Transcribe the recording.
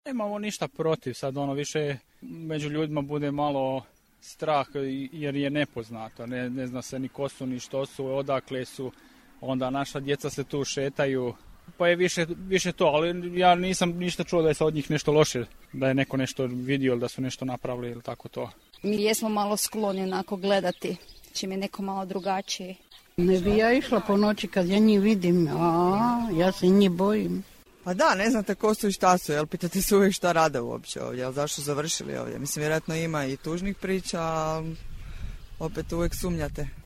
Nemamo ništa protiv, sad više među ljudima bude malo strah jer je nepoznato, ne zna se ni ko su, ni što su, odakle su, onda naša djeca se tu šetaju, pa je više to, ali ja nisam ništa čuo da je sa od njih nešto loše, da je neko nešto vidio ili da su nešto napravili ili tako to. Mi jesmo malo skloni onako gledati, čim je neko malo drugačiji. Ne bi ja išla po noći kad ja njih vidim, ja se njih bojim. Pa da, ne znate ko su i šta su, jel pitate se uvijek šta rade uopće ovdje, jel zašto završili ovdje. Mislim, vjerojatno ima i tužnih priča, ali opet uvijek sumnjate.